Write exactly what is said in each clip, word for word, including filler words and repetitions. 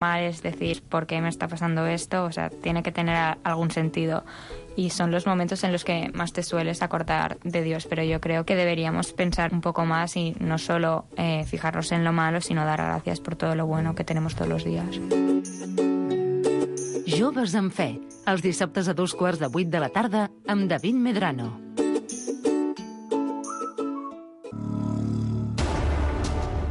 mal es decir, ¿por qué me está pasando esto? O sea, tiene que tener a- algún sentido. Y son los momentos en los que más te sueles acordar de Dios, pero yo creo que deberíamos pensar un poco más y no solo eh, fijarnos en lo malo, sino dar gracias por todo lo bueno que tenemos todos los días. Joves amb fe, els dissabtes a dos quarts de vuit de la tarda amb David Medrano.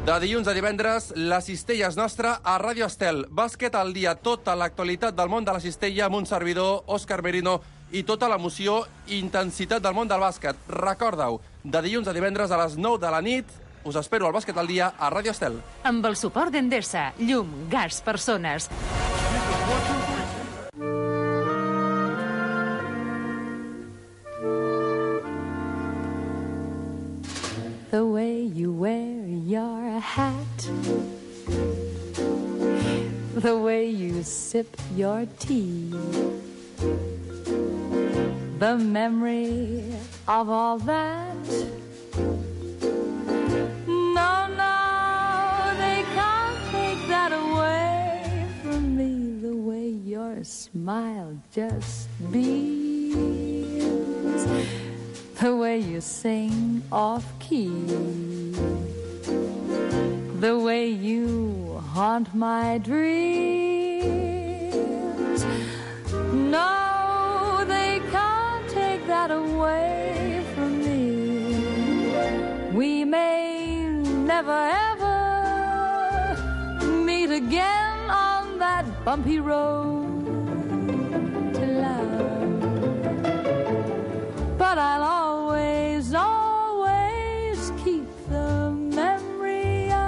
De dilluns a divendres, la cistella és nostra a Ràdio Estel. Bàsquet al dia, tota l'actualitat del món de la cistella amb un servidor, Òscar Merino, i tota l'emoció i intensitat del món del bàsquet. Recorda-ho, de dilluns a divendres a les nou de la nit, us espero al Bàsquet al dia a Ràdio Estel. Amb el suport d'Endesa, llum, gas, persones. The way you wear your hat, the way you sip your tea, the memory of all that. No, no, they can't take that away from me. The way your smile just beams, the way you sing off-key, the way you haunt my dreams. No, they can't take that away from me. We may never ever meet again on that bumpy road to love, but I'll always, always keep the memory of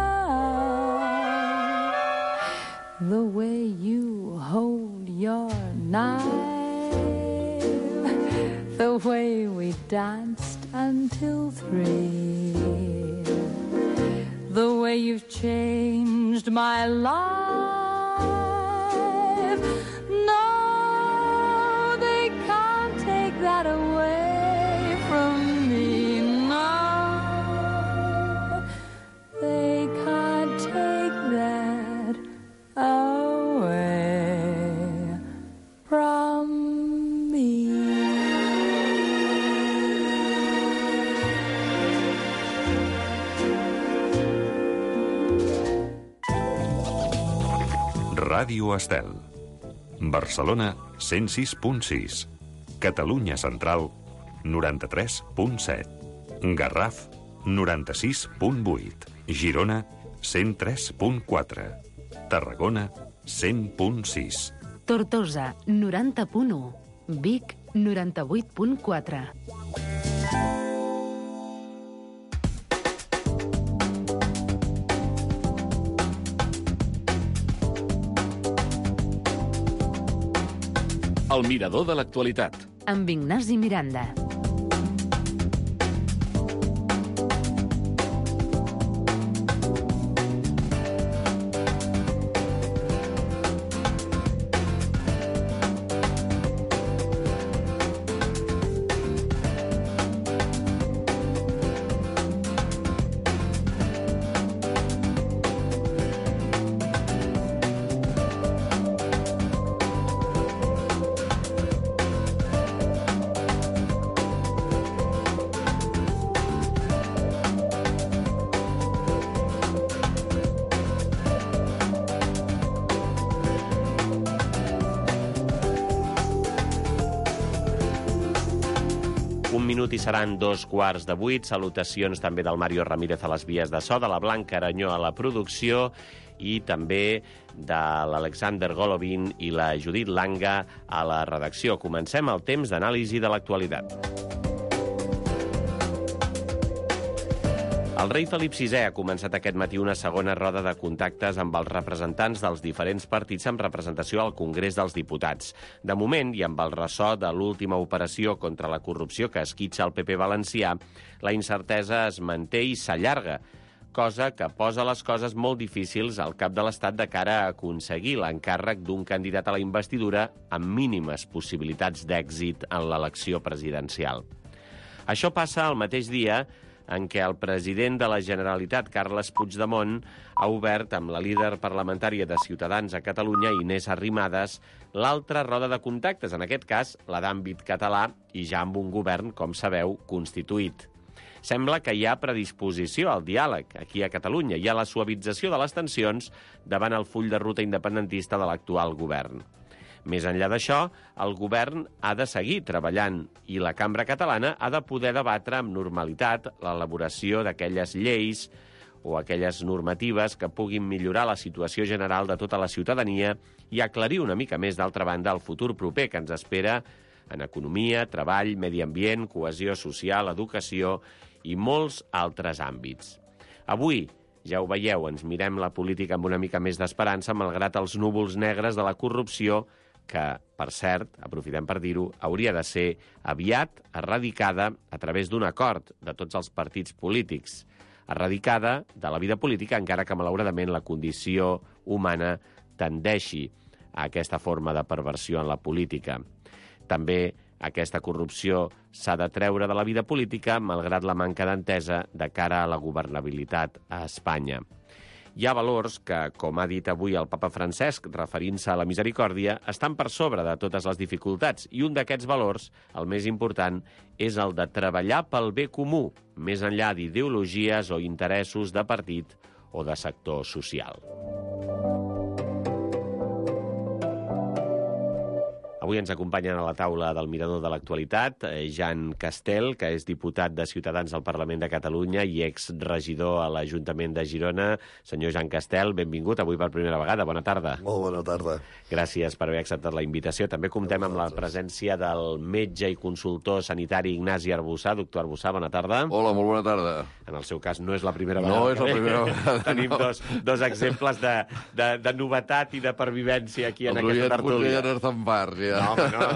the way you hold your knife, the way we danced until three, the way you've changed my life. No, they can't take that away from me. No, they can't take that away from me. Ràdio Estel. Barcelona, cent sis punt sis. Catalunya Central, noranta-tres punt set. Garraf, noranta-sis punt vuit. Girona, cent tres punt quatre. Tarragona, cent punt sis. Tortosa, noranta punt u. Vic, noranta-vuit punt quatre. El mirador de l'actualitat. Amb Ignasi Miranda. Un minut i seran dos quarts de vuit. Salutacions també del Mario Ramírez a les vies de so, de la Blanca Aranyó a la producció i també de l'Alexander Golovin i la Judit Langa a la redacció. Comencem el temps d'anàlisi de l'actualitat. El rei Felip sisè ha començat aquest matí una segona roda de contactes amb els representants dels diferents partits amb representació al Congrés dels Diputats. De moment, i amb el ressò de l'última operació contra la corrupció que esquitxa el P P valencià, la incertesa es manté i s'allarga, cosa que posa les coses molt difícils al cap de l'Estat de cara a aconseguir l'encàrrec d'un candidat a la investidura amb mínimes possibilitats d'èxit en l'elecció presidencial. Això passa el mateix dia en què el president de la Generalitat, Carles Puigdemont, ha obert amb la líder parlamentària de Ciutadans a Catalunya, Inés Arrimadas, l'altra roda de contactes, en aquest cas la d'àmbit català, i ja amb un govern, com sabeu, constituït. Sembla que hi ha predisposició al diàleg aquí a Catalunya i a la suavització de les tensions davant el full de ruta independentista de l'actual govern. Més enllà d'això, el govern ha de seguir treballant i la cambra catalana ha de poder debatre amb normalitat l'elaboració d'aquelles lleis o aquelles normatives que puguin millorar la situació general de tota la ciutadania i aclarir una mica més, d'altra banda, el futur proper que ens espera en economia, treball, medi ambient, cohesió social, educació i molts altres àmbits. Avui, ja ho veieu, ens mirem la política amb una mica més d'esperança, malgrat els núvols negres de la corrupció, que, per cert, aprofitem per dir-ho, hauria de ser aviat erradicada a través d'un acord de tots els partits polítics. Erradicada de la vida política, encara que, malauradament, la condició humana tendeixi a aquesta forma de perversió en la política. També aquesta corrupció s'ha de treure de la vida política, malgrat la manca d'entesa de cara a la governabilitat a Espanya. Hi ha valors que, com ha dit avui el papa Francesc, referint-se a la misericòrdia, estan per sobre de totes les dificultats, i un d'aquests valors, el més important, és el de treballar pel bé comú, més enllà d'ideologies o interessos de partit o de sector social. Avui ens acompanyen a la taula del Mirador de l'Actualitat Jan Castel, que és diputat de Ciutadans al Parlament de Catalunya i exregidor a l'Ajuntament de Girona. Senyor Jan Castel, benvingut avui per primera vegada. Bona tarda. Molt bona tarda. Gràcies per haver acceptat la invitació. També comptem amb la presència del metge i consultor sanitari Ignasi Arbussà. Doctor Arbussà, bona tarda. Hola, molt bona tarda. En el seu cas no és la primera vegada. No és la primera vegada. Tenim no. dos, dos exemples de, de, de novetat i de pervivència aquí en aquesta tertúlia. El Roger Zampar, ja. No, no.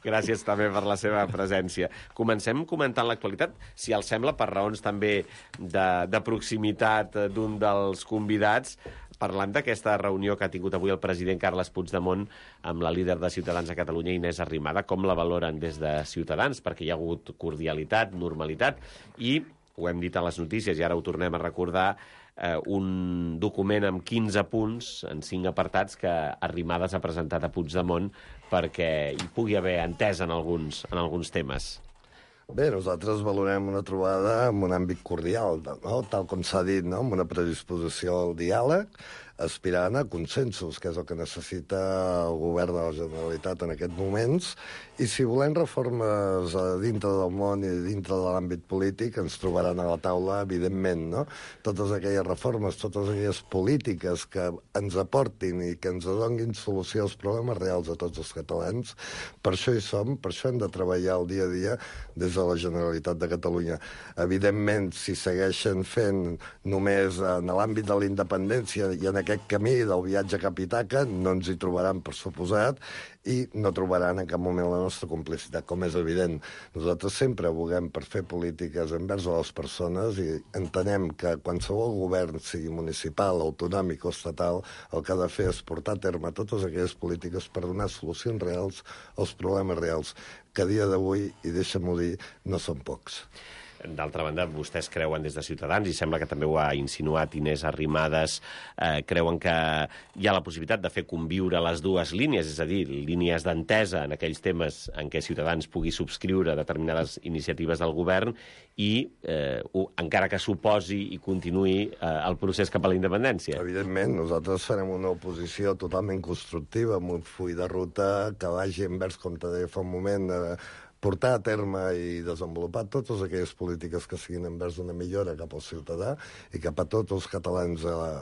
Gràcies també per la seva presència. Comencem comentant l'actualitat, si els sembla, per raons també de, de proximitat d'un dels convidats, parlant d'aquesta reunió que ha tingut avui el president Carles Puigdemont amb la líder de Ciutadans a Catalunya, Inés Arrimadas. Com la valoren des de Ciutadans? Perquè hi ha hagut cordialitat, normalitat, i ho hem dit a les notícies i ara ho tornem a recordar, eh, un document amb quinze punts, en cinc apartats, que Arrimadas ha presentat a Puigdemont perquè hi pugui haver entesa en alguns, en alguns temes. Bé, nosaltres valorem una trobada en un àmbit cordial, no? Tal com s'ha dit, no? Amb una predisposició al diàleg, aspirant a consensos, que és el que necessita el govern de la Generalitat en aquests moments, i si volem reformes a dintre del món i dintre de l'àmbit polític, ens trobaran a la taula, evidentment, no? Totes aquelles reformes, totes aquelles polítiques que ens aportin i que ens donin solució als problemes reals a tots els catalans, per això hi som, per això hem de treballar el dia a dia des de la Generalitat de Catalunya. Evidentment, si segueixen fent només en l'àmbit de la independència i en aquest camí del viatge cap a Ítaca, no ens hi trobaran, per suposat, i no trobaran en cap moment la nostra complicitat, com és evident. Nosaltres sempre aboguem per fer polítiques envers a les persones i entenem que qualsevol govern, sigui municipal, autonòmic o estatal, el que ha de fer és portar a terme totes aquelles polítiques per donar solucions reals als problemes reals, que a dia d'avui, i deixa'm-ho dir, no són pocs. D'altra banda, vostès creuen des de Ciutadans, i sembla que també ho ha insinuat Inés Arrimadas, eh, creuen que hi ha la possibilitat de fer conviure les dues línies, és a dir, línies d'entesa en aquells temes en què Ciutadans pugui subscriure determinades iniciatives del govern i, eh, ho, encara que suposi i continuï eh, el procés cap a la independència. Evidentment, nosaltres farem una oposició totalment constructiva, amb un full de ruta que vagi envers, com te deia fa un moment, eh, portar a terme i desenvolupar totes aquelles polítiques que siguin envers una millora cap al ciutadà i cap a tots els catalans a la,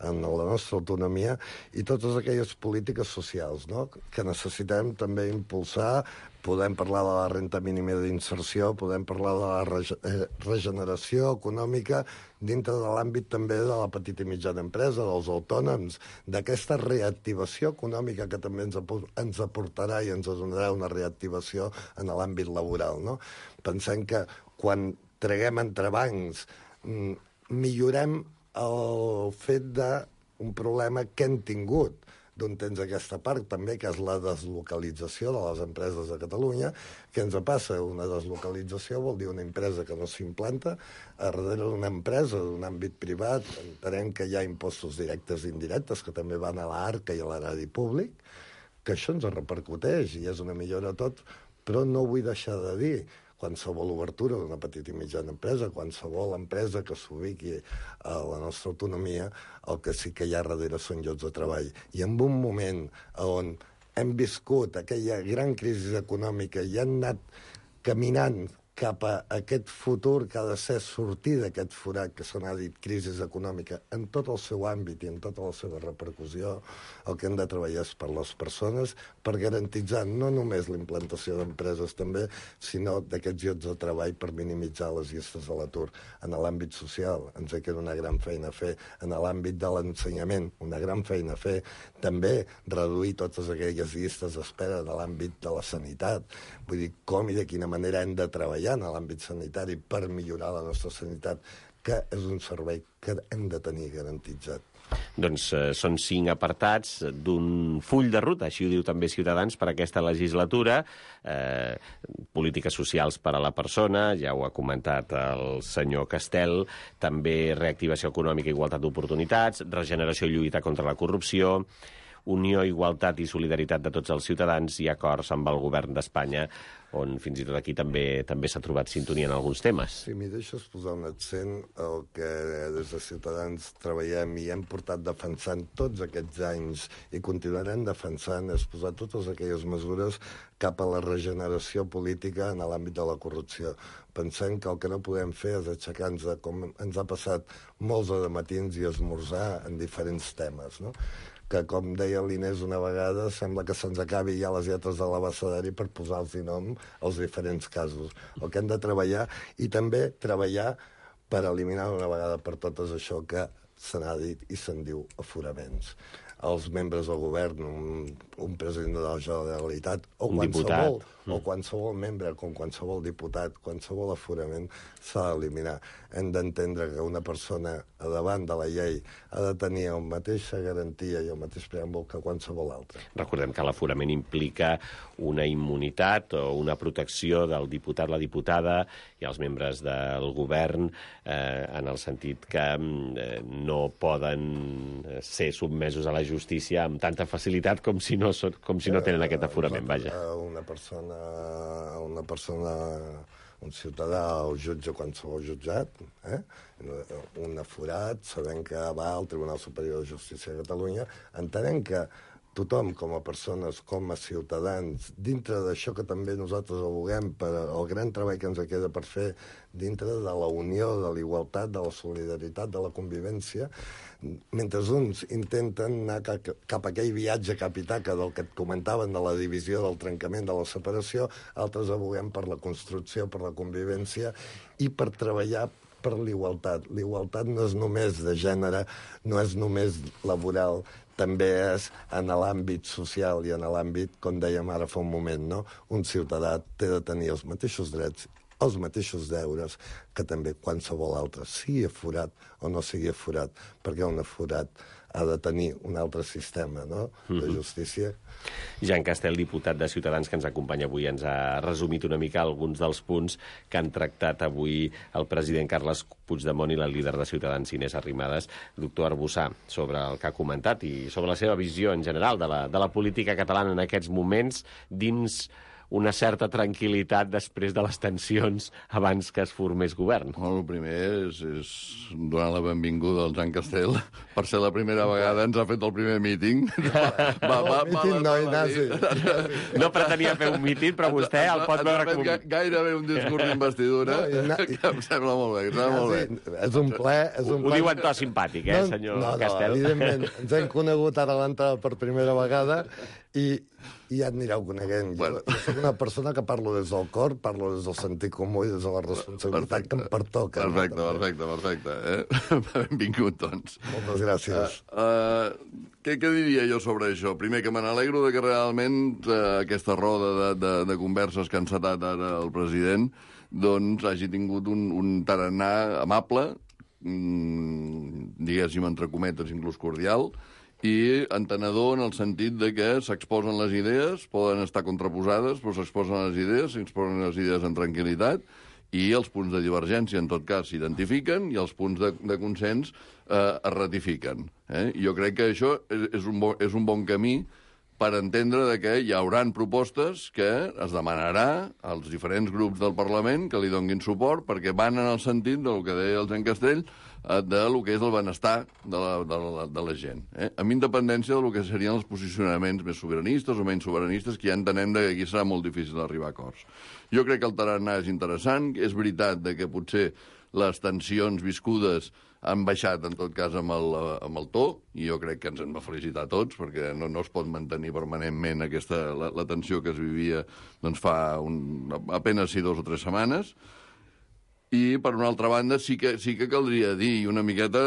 en la nostra autonomia, i totes aquelles polítiques socials, no?, que necessitem també impulsar. Podem parlar de la renda mínima d'inserció, podem parlar de la rege regeneració econòmica dintre de l'àmbit també de la petita i mitjana empresa, dels autònoms, d'aquesta reactivació econòmica que també ens, ens aportarà i ens donarà una reactivació en l'àmbit laboral, no? Pensem que quan traguem entrebancs, millorem el fet d'un problema que hem tingut d'on tens aquesta part també, que és la deslocalització de les empreses de Catalunya. Què ens passa? Una deslocalització vol dir una empresa que no s'implanta a darrere d'una empresa d'un àmbit privat. Entenem que hi ha impostos directes i indirectes que també van a l'arca i a l'erari públic, que això ens repercuteix i és una millora tot, però no vull deixar de dir qualsevol obertura d'una petita i mitjana empresa, qualsevol empresa que s'ubiqui a la nostra autonomia, el que sí que hi ha darrere són llocs de treball. I en un moment on hem viscut aquella gran crisi econòmica i hem anat caminant cap a aquest futur que ha de ser sortir d'aquest forat que se n'ha dit crisi econòmica en tot el seu àmbit i en tota la seva repercussió, el que hem de treballar és per les persones, per garantitzar no només la implantació d'empreses també, sinó d'aquests llocs de treball per minimitzar les llistes de l'atur. En l'àmbit social ens queda una gran feina a fer, en l'àmbit de l'ensenyament una gran feina a fer, també reduir totes aquelles llistes d'espera de l'àmbit de la sanitat. Vull dir, com i de quina manera hem de treballar en l'àmbit sanitari per millorar la nostra sanitat, que és un servei que hem de tenir garantitzat. Doncs eh, són cinc apartats d'un full de ruta, així ho diu també Ciutadans, per aquesta legislatura. Eh, polítiques socials per a la persona, ja ho ha comentat el senyor Castel, també reactivació econòmica i igualtat d'oportunitats, regeneració i lluita contra la corrupció, unió, igualtat i solidaritat de tots els ciutadans i acords amb el govern d'Espanya, on fins i tot aquí també també s'ha trobat sintonia en alguns temes. Si m'hi deixes posar un accent, el que des de Ciutadans treballem i hem portat defensant tots aquests anys i continuarem defensant és posar totes aquelles mesures cap a la regeneració política en l'àmbit de la corrupció. Pensem que el que no podem fer és aixecar-nos, com ens ha passat molts de matins, i esmorzar en diferents temes, no? Que, com deia l'Inés una vegada, sembla que se'ns acabi ja les lletres de l'abecedari per posar-los nom als diferents casos. El que hem de treballar, i també treballar per eliminar d'una vegada per totes això que se n'ha dit i se'n diu aforaments. Els membres del govern, un, un president de la Generalitat, o un qualsevol, diputat. o qualsevol membre, com qualsevol diputat, qualsevol aforament s'ha d'eliminar. Hem d'entendre que una persona a davant de la llei ha de tenir la mateixa garantia i el mateix preàmbul que qualsevol altre. Recordem que l'aforament implica una immunitat o una protecció del diputat, la diputada i els membres del govern, eh, en el sentit que eh, no poden ser sotmesos a la justícia amb tanta facilitat com si no, com si no tenen aquest aforament, vaja. Una persona, una persona, un ciutadà o jutge, qualsevol jutjat, eh? un aforat, sabent que va al Tribunal Superior de Justícia de Catalunya, entenent que tothom, com a persones, com a ciutadans, dintre d'això que també nosaltres aboguem per el gran treball que ens queda per fer dintre de la unió, de la igualtat, de la solidaritat, de la convivència, mentre uns intenten anar cap a aquell viatge capitaca del que et comentaven de la divisió, del trencament, de la separació, altres aboguem per la construcció, per la convivència i per treballar per l'igualtat. L'igualtat no és només de gènere, no és només laboral, també és en l'àmbit social i en l'àmbit, com dèiem ara fa un moment, no? Un ciutadà té de tenir els mateixos drets, els mateixos deures que també qualsevol altre, sigui aforat o no sigui aforat, perquè un aforat ha de tenir un altre sistema, no?, de justícia. Jean Castel, diputat de Ciutadans, que ens acompanya avui, ens ha resumit una mica alguns dels punts que han tractat avui el president Carles Puigdemont i la líder de Ciutadans, Inés Arrimadas. Doctor Arbussà, sobre el que ha comentat i sobre la seva visió en general de la, de la política catalana en aquests moments, dins una certa tranquil·litat després de les tensions abans que es formés govern. Bueno, el primer és, és donar la benvinguda al Jean Castel. Per ser la primera vegada ens ha fet el primer míting. Va, va, va, míting no, Ignasi. No pretenia fer un míting, però vostè el pot veure com... Gairebé un discurs d'investidura, que em sembla molt bé, em sembla molt bé. És un ple... És un Ho diu en to simpàtic, eh, senyor Castel? No, evidentment, ens hem conegut ara a l'entrada per primera vegada i, i ja anireu coneguent. Jo, jo soc una persona que parlo des del cor, parlo des del sentit comú i des de la responsabilitat que em pertoca. Perfecte, perfecte, perfecte. Eh? Benvingut, doncs. Moltes gràcies. Uh, uh, què, què diria jo sobre això? Primer, que me n'alegro de que realment uh, aquesta roda de, de, de converses que ha encetat ara el president doncs hagi tingut un, un tarannà amable, mm, diguéssim, entre cometes, inclús cordial, i entenedor en el sentit de que s'exposen les idees, poden estar contraposades, però s'exposen les idees, s'exposen les idees en tranquil·litat, i els punts de divergència, en tot cas, s'identifiquen, i els punts de, de consens eh, es ratifiquen. Eh? Jo crec que això és, és, un bo, és un bon camí per entendre de que hi hauran propostes que es demanarà als diferents grups del Parlament que li donguin suport, perquè van en el sentit del que deia el Jean Castell, de lo que és el benestar de la, de la, de la gent, eh? amb independència del que serien els posicionaments més sobiranistes o menys sobiranistes, que ja entenem que aquí serà molt difícil arribar a acords. Jo crec que el tarannà és interessant, és veritat de que potser les tensions viscudes han baixat, en tot cas, amb el, amb el to, i jo crec que ens hem de felicitar tots, perquè no, no es pot mantenir permanentment aquesta, la, la tensió que es vivia doncs, fa un, apenas si dos o tres setmanes. I, per una altra banda, sí que, sí que caldria dir una miqueta,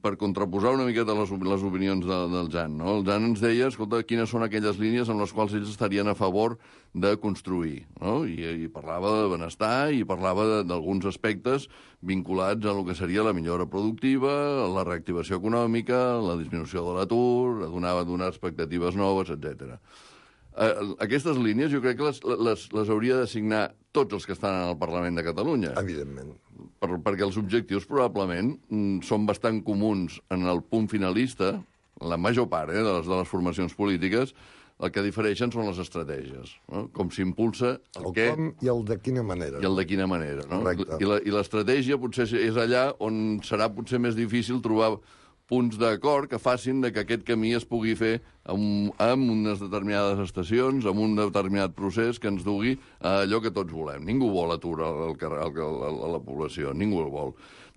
per contraposar una miqueta les, les opinions de, del Jan, no? El Jan ens deia, escolta, quines són aquelles línies amb les quals ells estarien a favor de construir, no? I, i parlava de benestar i parlava d'alguns aspectes vinculats a lo que seria la millora productiva, la reactivació econòmica, la disminució de l'atur, donava donar expectatives noves, etcètera. Uh, aquestes línies jo crec que les, les, les hauria de signar tots els que estan en el Parlament de Catalunya. Evidentment. Per, perquè els objectius probablement mm, són bastant comuns en el punt finalista, la major part eh, de, les, de les formacions polítiques, el que difereixen són les estratègies, no? Com s'impulsa el, el què... com i el de quina manera. I el de quina manera, no? Correcte. I l'estratègia potser és allà on serà potser més difícil trobar punts d'acord que facin de que aquest camí es pugui fer amb, amb unes determinades estacions, amb un determinat procés que ens dugui a allò que tots volem. Ningú vol atur al, al, al, a la població, ningú el vol.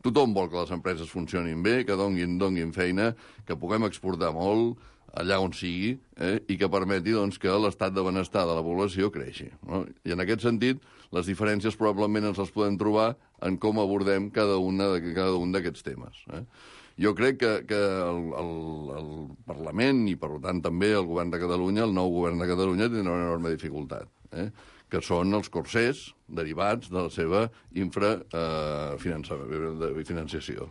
Tothom vol que les empreses funcionin bé, que donguin, donguin feina, que puguem exportar molt allà on sigui, eh, i que permeti doncs, que l'estat de benestar de la població creixi. No? I en aquest sentit, les diferències probablement ens les podem trobar en com abordem cada, una de, cada un d'aquests temes. Eh? Jo crec que, que el, el, el Parlament i, per tant, també el govern de Catalunya, el nou govern de Catalunya, tindrà una enorme dificultat, eh? que són els corsers derivats de la seva infrafinanciació.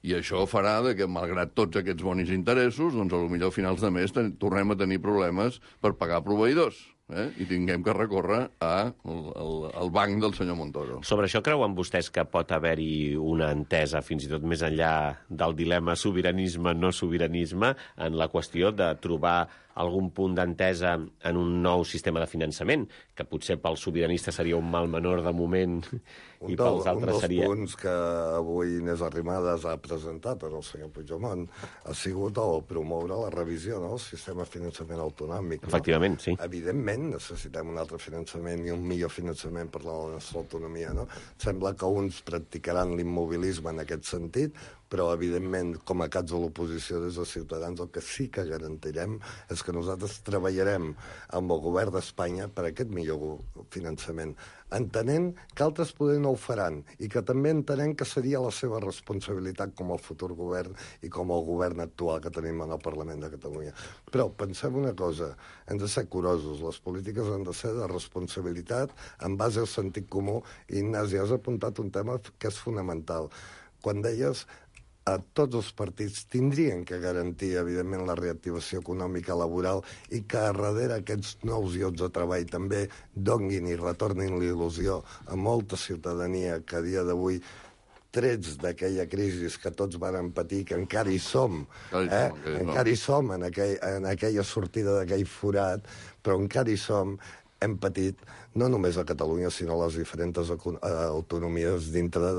I això farà de que, malgrat tots aquests bonis interessos, doncs, potser a finals de mes ten, tornem a tenir problemes per pagar proveïdors. Eh? I tinguem que recórrer al banc del senyor Montoro. Sobre això creuen vostès que pot haver-hi una entesa, fins i tot més enllà del dilema sobiranisme-no sobiranisme, en la qüestió de trobar algun punt d'entesa en un nou sistema de finançament, que potser pels sobiranistes seria un mal menor de moment un i pels altres seria... Un dels punts que avui Inés Arrimadas ha presentat al senyor Puigdemont ha sigut el promoure la revisió del sistema de finançament autonòmic. Efectivament, no? sí. Evidentment, necessitem un altre finançament i un millor finançament per la nostra autonomia. No? Sembla que uns practicaran l'immobilisme en aquest sentit, però, evidentment, com a caps de l'oposició des de Ciutadans, el que sí que garantirem és que nosaltres treballarem amb el govern d'Espanya per aquest millor finançament, entenent que altres poder no ho faran i que també entenem que seria la seva responsabilitat com el futur govern i com el govern actual que tenim en el Parlament de Catalunya. Però pensem una cosa, hem de ser curosos, les polítiques han de ser de responsabilitat en base al sentit comú, i Ignasi, has apuntat un tema que és fonamental. Quan deies a tots els partits tindrien que garantir, evidentment, la reactivació econòmica laboral i que a darrere aquests nous llocs de treball també donguin i retornin l'il·lusió a molta ciutadania que a dia d'avui, trets d'aquella crisi que tots varen patir, que encara hi som, eh? encara hi som en, aquell, en aquella sortida d'aquell forat, però encara hi som, hem patit, no només a Catalunya, sinó a les diferents autonomies dintre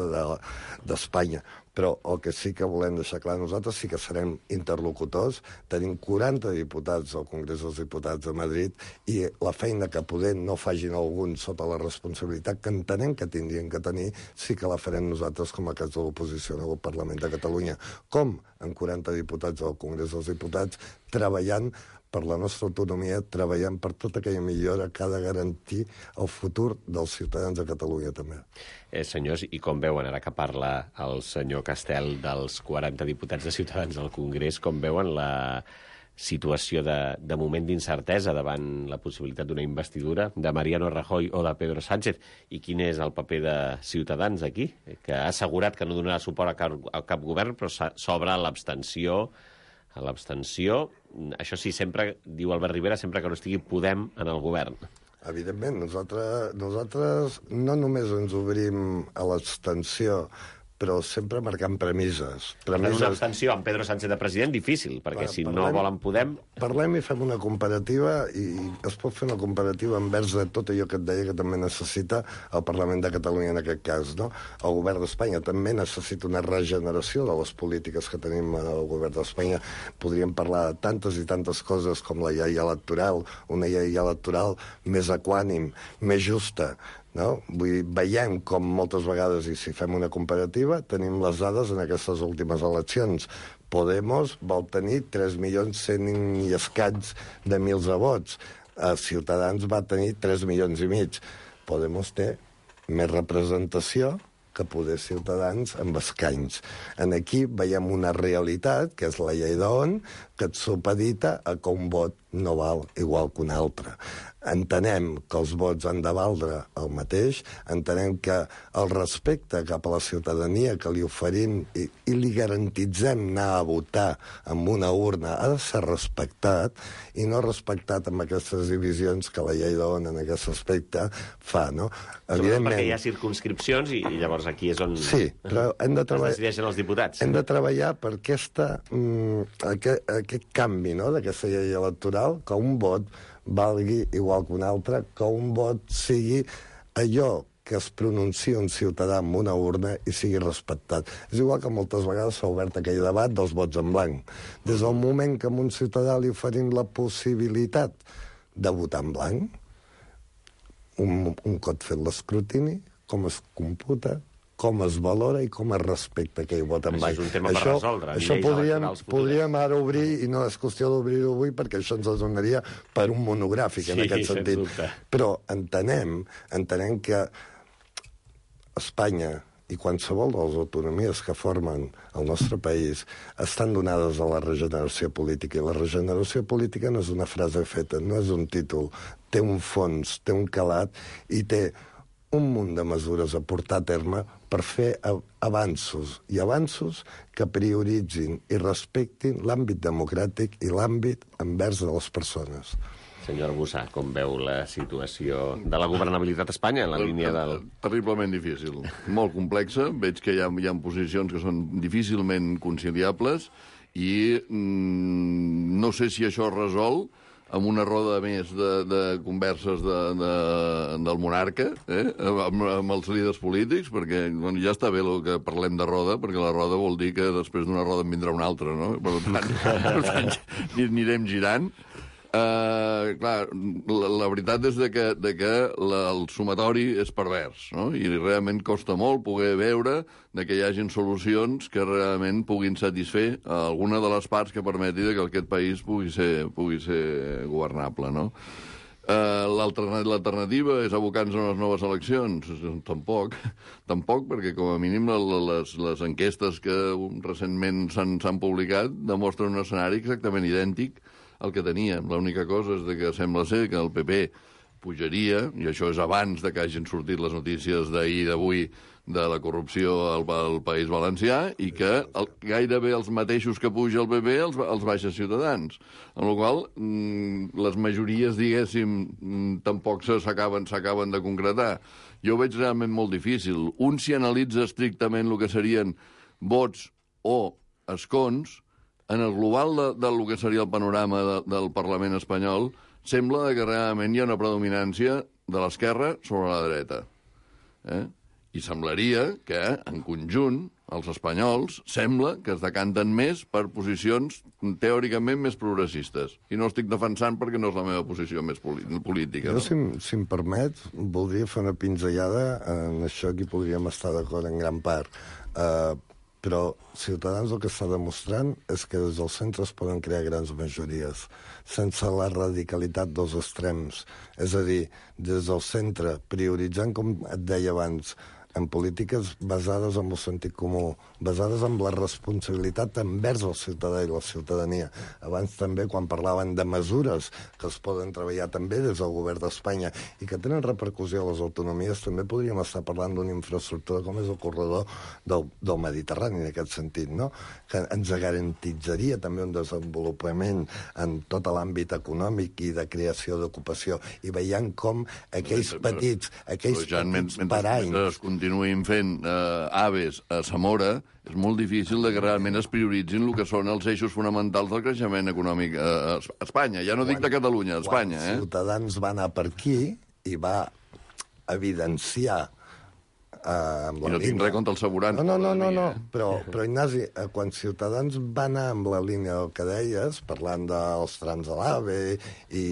d'Espanya. Però el que sí que volem deixar clar, nosaltres sí que serem interlocutors, tenim quaranta diputats al Congrés dels Diputats de Madrid i la feina que poder no facin alguns sota la responsabilitat que entenem que tindrien que tenir, sí que la farem nosaltres com a cas de l'oposició al Parlament de Catalunya. Com? Amb quaranta diputats al Congrés dels Diputats, treballant per la nostra autonomia, treballant per tota aquella millora que ha de garantir el futur dels ciutadans de Catalunya, també. Eh, senyors, i com veuen, ara que parla el senyor Castel dels quaranta diputats de Ciutadans al Congrés, com veuen la situació de, de moment d'incertesa davant la possibilitat d'una investidura de Mariano Rajoy o de Pedro Sánchez? I quin és el paper de Ciutadans aquí? Que ha assegurat que no donarà suport a cap, a cap govern, però s'obre l'abstenció l'abstenció. Això sí, sempre, diu Albert Rivera, sempre que no estigui Podem en el govern. Evidentment, nosaltres, nosaltres no només ens obrim a l'abstenció, però sempre marcant premisses. premisses... Una abstenció amb Pedro Sánchez de president, difícil, perquè Va, si parlem, no volen Podem... Parlem i fem una comparativa, i es pot fer una comparativa envers de tot allò que et deia que també necessita el Parlament de Catalunya en aquest cas, no? El govern d'Espanya també necessita una regeneració de les polítiques que tenim al govern d'Espanya. Podríem parlar de tantes i tantes coses com la llei electoral, una llei electoral més equànim, més justa, no? Vull dir, veiem com moltes vegades, i si fem una comparativa, tenim les dades en aquestes últimes eleccions. Podemos vol tenir tres milions cent i escaig de mils de vots. Ciutadans va tenir tres milions i mig. Podemos té més representació que poder Ciutadans amb escanys. En aquí veiem una realitat, que és la llei d'On, que et supedita a que un vot no val igual que un altre. Entenem que els vots han de valdre el mateix, entenem que el respecte cap a la ciutadania que li oferim i, i li garantitzem anar a votar amb una urna ha de ser respectat, i no respectat amb aquestes divisions que la llei d'On en aquest aspecte fa, no? Evidentment, perquè hi ha circumscripcions i, i llavors aquí és on sí, però hem de es decideixen els diputats. Hem de treballar per aquesta, mm, aquest, aquest canvi, no?, d'aquesta llei electoral, que un vot valgui igual que un altre, que un vot sigui allò que es pronuncia un ciutadà amb una urna i sigui respectat. És igual que moltes vegades s'ha obert aquell debat dels vots en blanc. Des del moment que a un ciutadà li oferim la possibilitat de votar en blanc, un, un cop fet l'escrutini, com es computa, com es valora i com es respecta aquell vot en blanc. Això és un tema per resoldre. Això podríem, podríem ara obrir, i no és qüestió d'obrir-ho avui, perquè això ens donaria per un monogràfic, en sí, aquest sentit. Però entenem, entenem que Espanya i qualsevol de les autonomies que formen el nostre país estan donades a la regeneració política, i la regeneració política no és una frase feta, no és un títol, té un fons, té un calat i té un munt de mesures a portar a terme per fer avanços, i avanços que prioritzin i respectin l'àmbit democràtic i l'àmbit envers de les persones. Senyor Arbussà, com veu la situació de la governabilitat a Espanya en la línia del... Terriblement difícil, molt complexa. Veig que hi ha, hi ha posicions que són difícilment conciliables i mm, no sé si això es resol amb una roda més de, de converses de, de, del monarca, eh? amb, amb els líders polítics, perquè bueno, ja està bé el que parlem de roda, perquè la roda vol dir que després d'una roda en vindrà una altra, no? Per tant, per tant anirem girant. Uh, clar, la, la veritat és de que, de que la, el sumatori és pervers, no? I realment costa molt poder veure de que hi hagin solucions que realment puguin satisfer a alguna de les parts que permeti que aquest país pugui ser, pugui ser governable, no? Uh, L'alternativa és abocar-nos a les noves eleccions? Tampoc, tampoc, perquè com a mínim les, les enquestes que recentment s'han publicat demostren un escenari exactament idèntic el que teníem. L'única cosa és que sembla ser que el P P pujaria, i això és abans de que hagin sortit les notícies d'ahir i d'avui de la corrupció al, al País Valencià, i que el, gairebé els mateixos que puja el P P els, els baixa Ciutadans. En la qual mm, les majories, diguéssim, mm, tampoc s'acaben s'acaben de concretar. Jo ho veig realment molt difícil. Un si analitza estrictament el que serien vots o escons, en el global de, del que seria el panorama de, del Parlament espanyol, sembla que realment hi ha una predominància de l'esquerra sobre la dreta. Eh? I semblaria que, en conjunt, els espanyols sembla que es decanten més per posicions teòricament més progressistes. I no estic defensant perquè no és la meva posició més política. Jo, no? si, si em permet, voldria fer una pinzellada en això que podríem estar d'acord en gran part. Uh, Però Ciutadans el que està demostrant és que des del centre es poden crear grans majories, sense la radicalitat dels extrems. És a dir, des del centre, prioritzant, com et deia abans, en polítiques basades en el sentit comú, basades en la responsabilitat envers el ciutadà i la ciutadania. Abans també, quan parlaven de mesures que es poden treballar també des del govern d'Espanya i que tenen repercussió a les autonomies, també podríem estar parlant d'una infraestructura com és el corredor del, del Mediterrani, en aquest sentit, no? Que ens garantitzaria també un desenvolupament en tot l'àmbit econòmic i de creació d'ocupació. I veient com aquells petits, aquells ja, petits mentre, paranys... Mentre es continuïn fent eh, aves a Zamora, és molt difícil de que realment es prioritzin el que són els eixos fonamentals del creixement econòmic a Espanya. Ja no dic de Catalunya, a Espanya. Quan Ciutadans va anar per aquí i va evidenciar eh, amb la I no tinc res contra el Saborans. No, no, no, no, no. Però, però Ignasi, eh, quan Ciutadans va anar amb la línia del que deies, parlant dels trams de l'AVE i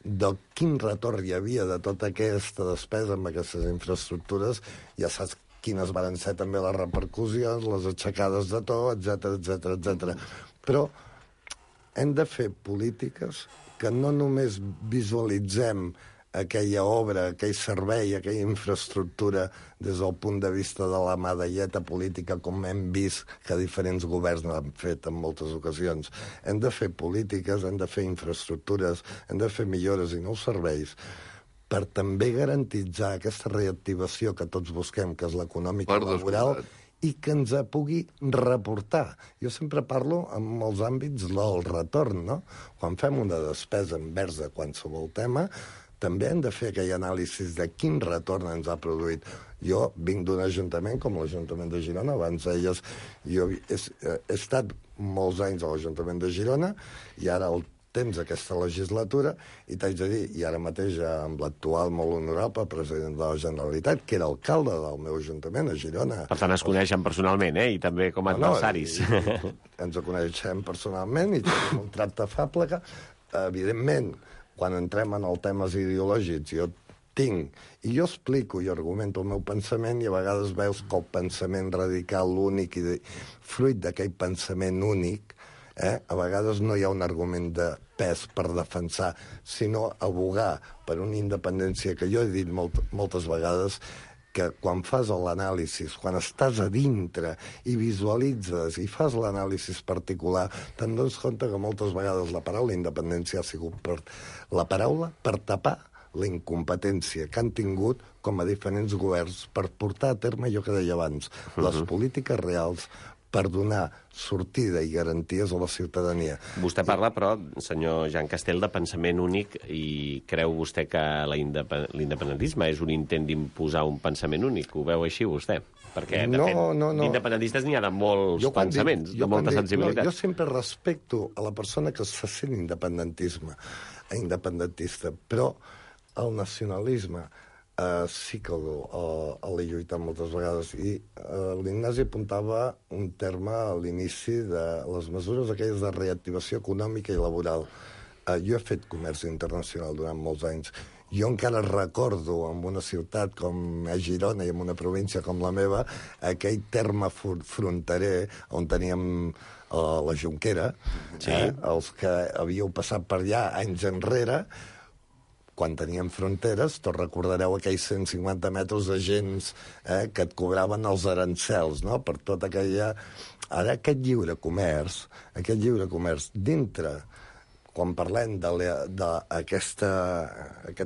de quin retorn hi havia de tota aquesta despesa amb aquestes infraestructures, ja saps quines van ser també les repercussions, les aixecades de to, etcètera, etcètera, etcètera. Però hem de fer polítiques que no només visualitzem aquella obra, aquell servei, aquella infraestructura des del punt de vista de la medalleta política, com hem vist que diferents governs han fet en moltes ocasions. Hem de fer polítiques, hem de fer infraestructures, hem de fer millores i nous serveis per també garantitzar aquesta reactivació que tots busquem, que és l'econòmica i laboral, i que ens pugui reportar. Jo sempre parlo en molts àmbits del retorn, no? Quan fem una despesa envers de qualsevol tema, també hem de fer aquell anàlisi de quin retorn ens ha produït. Jo vinc d'un ajuntament com l'Ajuntament de Girona, abans deies, jo he, he estat molts anys a l'Ajuntament de Girona i ara el temps aquesta legislatura, i t'haig de dir, i ara mateix amb l'actual molt honorable president de la Generalitat, que era alcalde del meu ajuntament a Girona. Per tant, es coneixen personalment, eh? I també com a adversaris. No, no, i, i ens coneixem personalment i tenim un tracte afable que, evidentment, quan entrem en els temes ideològics, jo tinc, i jo explico i argumento el meu pensament, i a vegades veus que el pensament radical, únic, i de, fruit d'aquell pensament únic, eh, a vegades no hi ha un argument de pes per defensar, sinó abogar per una independència que jo he dit molt, moltes vegades, que quan fas l'anàlisi, quan estàs a dintre i visualitzes i fas l'anàlisi particular, te'n dones compte que moltes vegades la paraula independència ha sigut per, la paraula per tapar la incompetència que han tingut com a diferents governs per portar a terme allò que deia abans, uh-huh. les polítiques reals per donar sortida i garanties a la ciutadania. Vostè parla, però, senyor Jean Castel, de pensament únic, i creu vostè que l'independentisme és un intent d'imposar un pensament únic? Ho veu així, vostè? Perquè, de no, fet, no, no. d'independentistes n'hi ha de molts jo pensaments, dic, de molta dic, sensibilitat. No, jo sempre respecto a la persona que se sent independentisme, independentista, però el nacionalisme Uh, sí que l'he lluitat moltes vegades, i uh, l'Ignasi apuntava un terme a l'inici de les mesures aquelles de reactivació econòmica i laboral. Uh, jo he fet comerç internacional durant molts anys. Jo encara recordo en una ciutat com a Girona i en una província com la meva aquell terme fronterer on teníem uh, la Jonquera, sí. eh, els que havíeu passat per allà anys enrere, quan teníem fronteres, tots recordareu aquells cent cinquanta metres de gens eh, que et cobraven els arancels, no?, per tota aquella... Ara aquest lliure comerç, aquest lliure comerç dintre, quan parlem d'aquest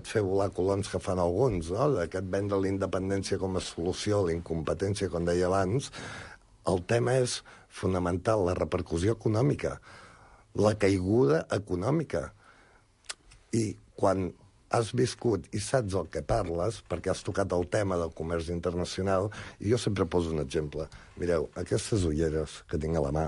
fer volar coloms que fan alguns, no?, d'aquest vendre la independència com a solució a la incompetència, com deia abans, el tema és fonamental, la repercussió econòmica, la caiguda econòmica. I quan has viscut i saps el que parles, perquè has tocat el tema del comerç internacional, i jo sempre poso un exemple. Mireu, aquestes ulleres que tinc a la mà,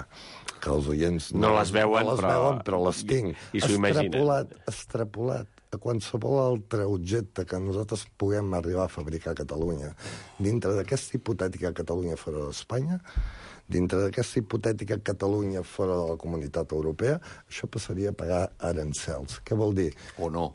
que els oients no, no les veuen, no les però... veuen, però les tinc. I, i s'ho imaginen. Extrapolat, extrapolat a qualsevol altre objecte que nosaltres puguem arribar a fabricar a Catalunya, dintre d'aquesta hipotètica Catalunya fora d'Espanya, dintre d'aquesta hipotètica Catalunya fora de la Comunitat Europea, això passaria a pagar arancels. Què vol dir? O no.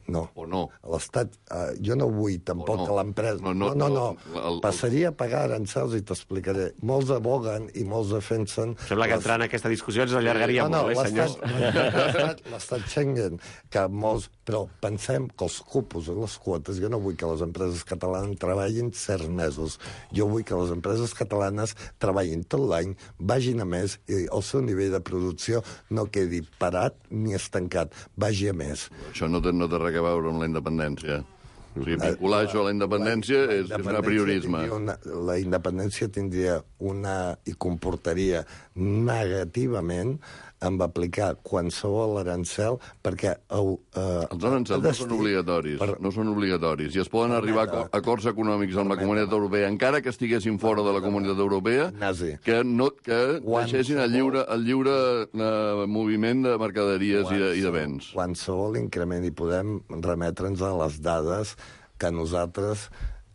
No. O no? L'Estat, eh, jo no vull tampoc no. que l'empresa... No, no, no, no. no. no. El, el... Passaria a pagar arancels i t'explicaré. Molts aboguen i molts defensen... Sembla que entrar en aquesta discussió ens allargaria no, no, molt, eh, senyors? L'estat l'estat Schengen, que molts... Però pensem que els cupos i les quotes, jo no vull que les empreses catalanes treballin certs mesos. Jo vull que les empreses catalanes treballin tot l'any, vagin a més, i el seu nivell de producció no quedi parat ni estancat, vagi a més. Això no té, no té res a veure amb la independència. O sigui, vincular això a la independència la, la és, és un apriorisme. Una, la independència tindria una... i comportaria negativament amb aplicar qualsevol arancel perquè... Uh, Els arancels no són obligatoris, per... no són obligatoris, i es poden arribar a acords econòmics amb la Comunitat Europea, encara que estiguessin fora de la Comunitat Europea, Nazi. que, no, que deixessin el lliure, el lliure uh, moviment de mercaderies i de, i de béns. Qualsevol increment, i podem remetre'ns a les dades que nosaltres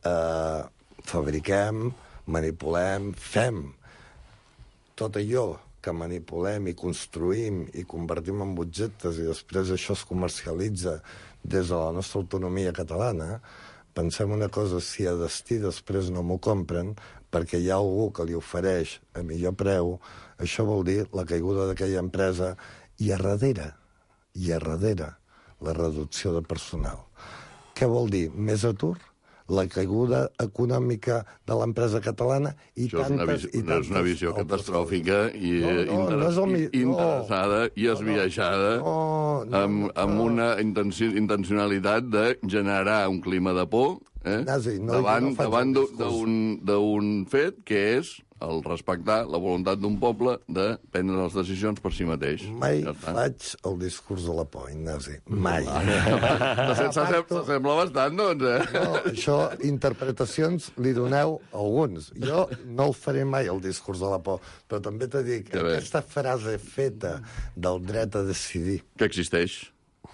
eh, fabriquem, manipulem, fem. Tot allò que manipulem i construïm i convertim en objectes i després això es comercialitza des de la nostra autonomia catalana, pensem una cosa, si a destí després no m'ho compren perquè hi ha algú que li ofereix a millor preu, això vol dir la caiguda d'aquella empresa i a darrere, i a darrere, la reducció de personal. Què vol dir? Més atur? La caiguda econòmica de l'empresa catalana i Això tantes... és una, visió, i tantes és una visió catastròfica i no, no, inter... no és el mi... interessada no, i esbiaixada no, no, amb, amb no. una intenci... intencionalitat de generar un clima de por eh? Nazi, no, davant, no davant d'un fet que és el respectar la voluntat d'un poble de prendre les decisions per si mateix. Mai ja faig el discurs de la por, Ignasi. Mai. S'assembla bastant, doncs, eh? No, això, interpretacions li doneu alguns. Jo no el faré mai, el discurs de la por, però també t'he dit que aquesta frase feta del dret a decidir... Que existeix.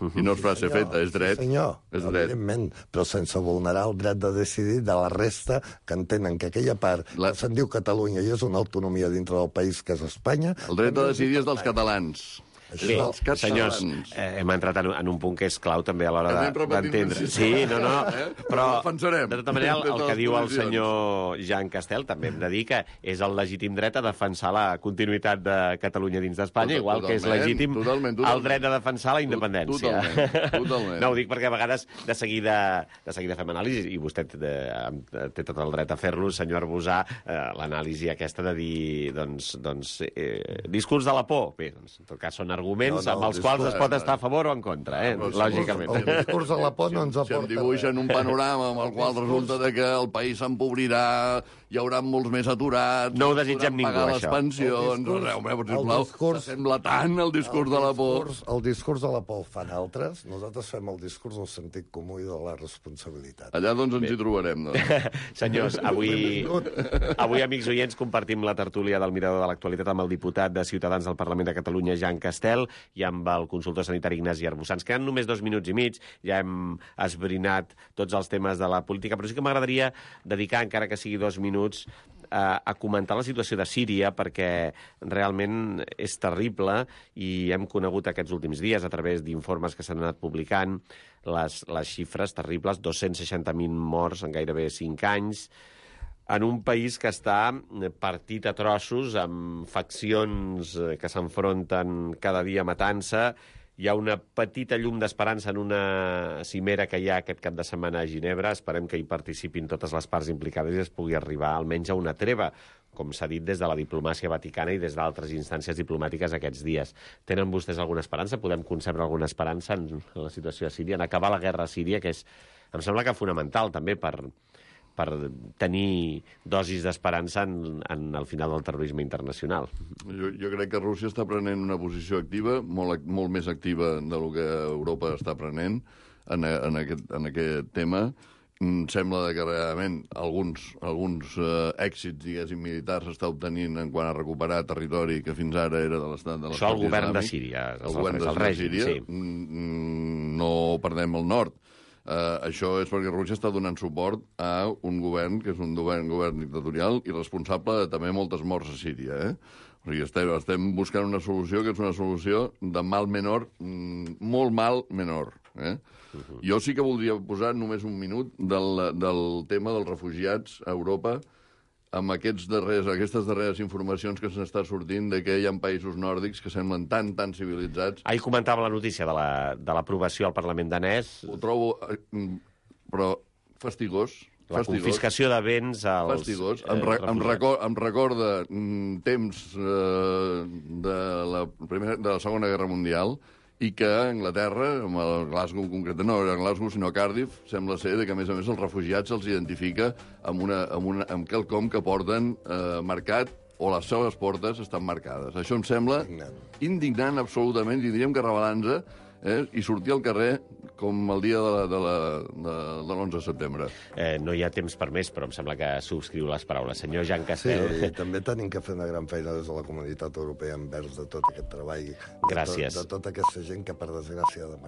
I no és frase senyor, feta, és dret. Senyor, és dret. evidentment, però sense vulnerar el dret de decidir de la resta que entenen que aquella part la... que se'n diu Catalunya i és una autonomia dintre del país que és Espanya... El dret a decidir és dels catalans. Bé, senyors, eh, hem entrat en, en un punt que és clau també a l'hora d'entendre. Sí, no, no, però de tota manera el, el que diu el senyor Jean Castel també hem de dir que és el legítim dret a defensar la continuïtat de Catalunya dins d'Espanya, igual que és legítim totalment, totalment. el dret a defensar la independència. Totalment, totalment. No, ho dic perquè a vegades de seguida, de seguida fem anàlisi, i vostè té, té tot el dret a fer-lo, senyor Arbusà, eh, l'anàlisi aquesta de dir, doncs, doncs eh, discurs de la por. Bé, doncs, en tot cas són arguments no, no, amb els discurs, quals es pot estar a favor o en contra, eh? No, lògicament. El discurs de la por no ens aporta. Si em dibuixen un panorama amb el qual resulta de que el país s'empobrirà, hi haurà molts més aturats... No ho desitgem ningú, pagar això. Les pensions... Home, sisplau, sembla tant el discurs de la por. El discurs de la por el fan altres, nosaltres fem el discurs del sentit comú i de la responsabilitat. Allà, doncs, ens hi trobarem, doncs. Senyors, avui, avui, amics oients, compartim la tertúlia del Mirador de l'Actualitat amb el diputat de Ciutadans del Parlament de Catalunya, Jean Castel, i amb el consultor sanitari Ignasi Arbusà. Ens queden només dos minuts i mig, ja hem esbrinat tots els temes de la política, però sí que m'agradaria dedicar, encara que sigui dos minuts, a, a comentar la situació de Síria, perquè realment és terrible i hem conegut aquests últims dies, a través d'informes que s'han anat publicant, les, les xifres terribles, dos-cents seixanta mil morts en gairebé cinc anys, en un país que està partit a trossos, amb faccions que s'enfronten cada dia matant-se. Hi ha una petita llum d'esperança en una cimera que hi ha aquest cap de setmana a Ginebra. Esperem que hi participin totes les parts implicades i es pugui arribar almenys a una treva, com s'ha dit des de la diplomàcia vaticana i des d'altres instàncies diplomàtiques aquests dies. Tenen vostès alguna esperança? Podem concebre alguna esperança en la situació a Síria, en acabar la guerra a Síria, que és, em sembla que fonamental també per... per tenir dosis d'esperança en, en el final del terrorisme internacional. Jo, jo crec que Rússia està prenent una posició activa, molt, molt més activa del que Europa està prenent en, en, aquest, en aquest tema. Em sembla que realment alguns, alguns eh, èxits, diguéssim, militars s'està obtenint en quant a recuperar territori que fins ara era de l'estat de l'estat Això el govern islàmic. de Síria, el govern de règim, Síria. Sí. Mm, no perdem el nord. Uh, això és perquè Rússia està donant suport a un govern que és un govern, govern dictatorial i responsable de també moltes morts a Síria. Eh? O sigui, estem, estem buscant una solució que és una solució de mal menor, mm, molt mal menor. Eh? Uh-huh. Jo sí que voldria posar només un minut del, del tema dels refugiats a Europa, amb aquests darrers, aquestes darreres informacions que s'estan sortint de que hi ha països nòrdics que semblen tan, tan civilitzats. Ahir comentava la notícia de la- de l'aprovació al Parlament danès. Ho trobo, eh, però fastigós. La fastigós. confiscació de béns als Fastigós. eh, Em, re, em, refugiats. record, em recorda mm, temps eh, de, la primera, de la Segona Guerra Mundial i que a Anglaterra, amb el Glasgow concretament, no era Glasgow sinó Cardiff, sembla ser que a més a més els refugiats se'ls identifica amb, una, amb, una, amb quelcom que porten eh, marcat o les seves portes estan marcades. Això em sembla Indignant. indignant absolutament, i diríem que rebel·lant-se, eh, i sortir al carrer com el dia de la- de la- de- de l'onze de setembre. Eh, no hi ha temps per més, però em sembla que subscriu les paraules. Senyor Jan Sí, Castel... i també tenim que fer una gran feina des de la comunitat europea envers de tot aquest treball. De Gràcies. Tot, de tota aquesta gent que, per desgràcia,